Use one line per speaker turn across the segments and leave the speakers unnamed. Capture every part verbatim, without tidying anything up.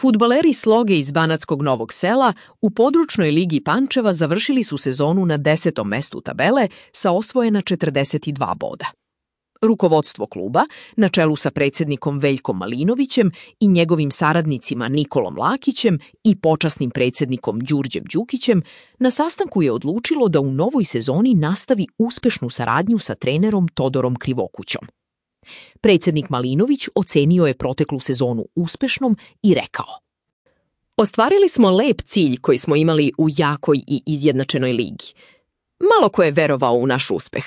Fudbaleri Sloge iz Banatskog Novog Sela u područnoj ligi Pančeva završili su sezonu na desetom mestu tabele sa osvojena četrdeset dva boda. Rukovodstvo kluba, na čelu sa predsjednikom Veljkom Malinovićem i njegovim saradnicima Nikolom Lakićem i počasnim predsjednikom Đurđem Đukićem, na sastanku je odlučilo da u novoj sezoni nastavi uspešnu saradnju sa trenerom Todorom Krivokućom. Predsjednik Malinović ocenio je proteklu sezonu uspešnom i rekao: Ostvarili smo lep cilj koji smo imali u jakoj i izjednačenoj ligi. Malo ko je verovao u naš uspeh,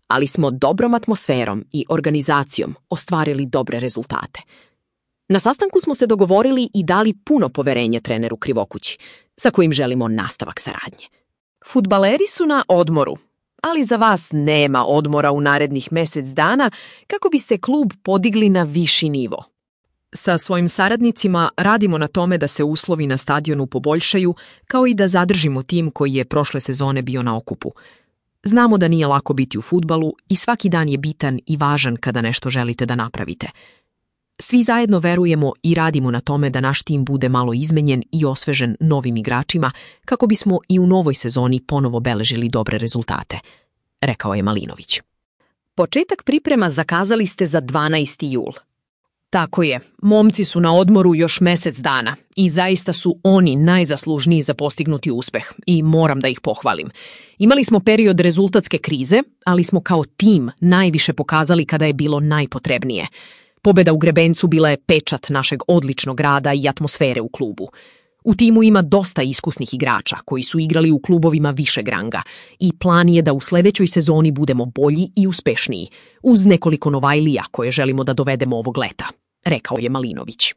ali smo dobrom atmosferom i organizacijom ostvarili dobre rezultate. Na sastanku smo se dogovorili i dali puno poverenje treneru Krivokući, sa kojim želimo nastavak saradnje. Fudbaleri su na odmoru, ali za vas nema odmora u narednih mjesec dana kako biste klub podigli na viši nivo. Sa svojim saradnicima radimo na tome da se uslovi na stadionu poboljšaju, kao i da zadržimo tim koji je prošle sezone bio na okupu. Znamo da nije lako biti u fudbalu i svaki dan je bitan i važan kada nešto želite da napravite. Svi zajedno verujemo i radimo na tome da naš tim bude malo izmenjen i osvežen novim igračima kako bismo i u novoj sezoni ponovo beležili dobre rezultate, rekao je Malinović. Početak priprema zakazali ste za dvanaesti jul. Tako je, momci su na odmoru još mjesec dana i zaista su oni najzaslužniji za postignuti uspeh i moram da ih pohvalim. Imali smo period rezultatske krize, ali smo kao tim najviše pokazali kada je bilo najpotrebnije. Pobjeda u Grebencu bila je pečat našeg odličnog rada i atmosfere u klubu. U timu ima dosta iskusnih igrača koji su igrali u klubovima višeg ranga i plan je da u sljedećoj sezoni budemo bolji i uspešniji, uz nekoliko novajlija koje želimo da dovedemo ovog leta, rekao je Malinović.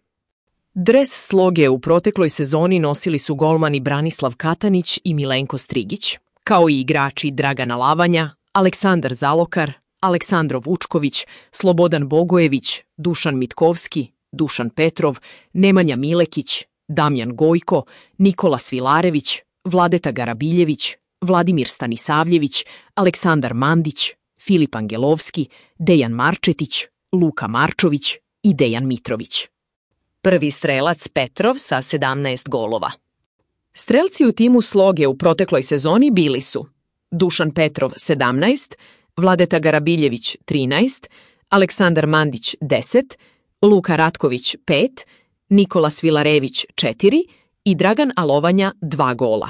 Dres Sloge u protekloj sezoni nosili su golmani Branislav Katanić i Milenko Strigić, kao i igrači Dragana Lavanja, Aleksandar Zalokar, Aleksandro Vučković, Slobodan Bogojević, Dušan Mitkovski, Dušan Petrov, Nemanja Milekić, Damjan Gojko, Nikola Svilarević, Vladeta Garabiljević, Vladimir Stanisavljević, Aleksandar Mandić, Filip Angelovski, Dejan Marčetić, Luka Marčović i Dejan Mitrović. Prvi strelac Petrov sa sedamnaest golova. Strelci u timu Sloge u protekloj sezoni bili su Dušan Petrov sedamnaest, Vladeta Garabiljević trinaest, Aleksandar Mandić deset, Luka Ratković pet, Nikola Svilarević četiri i Dragan Alovanja dva gola.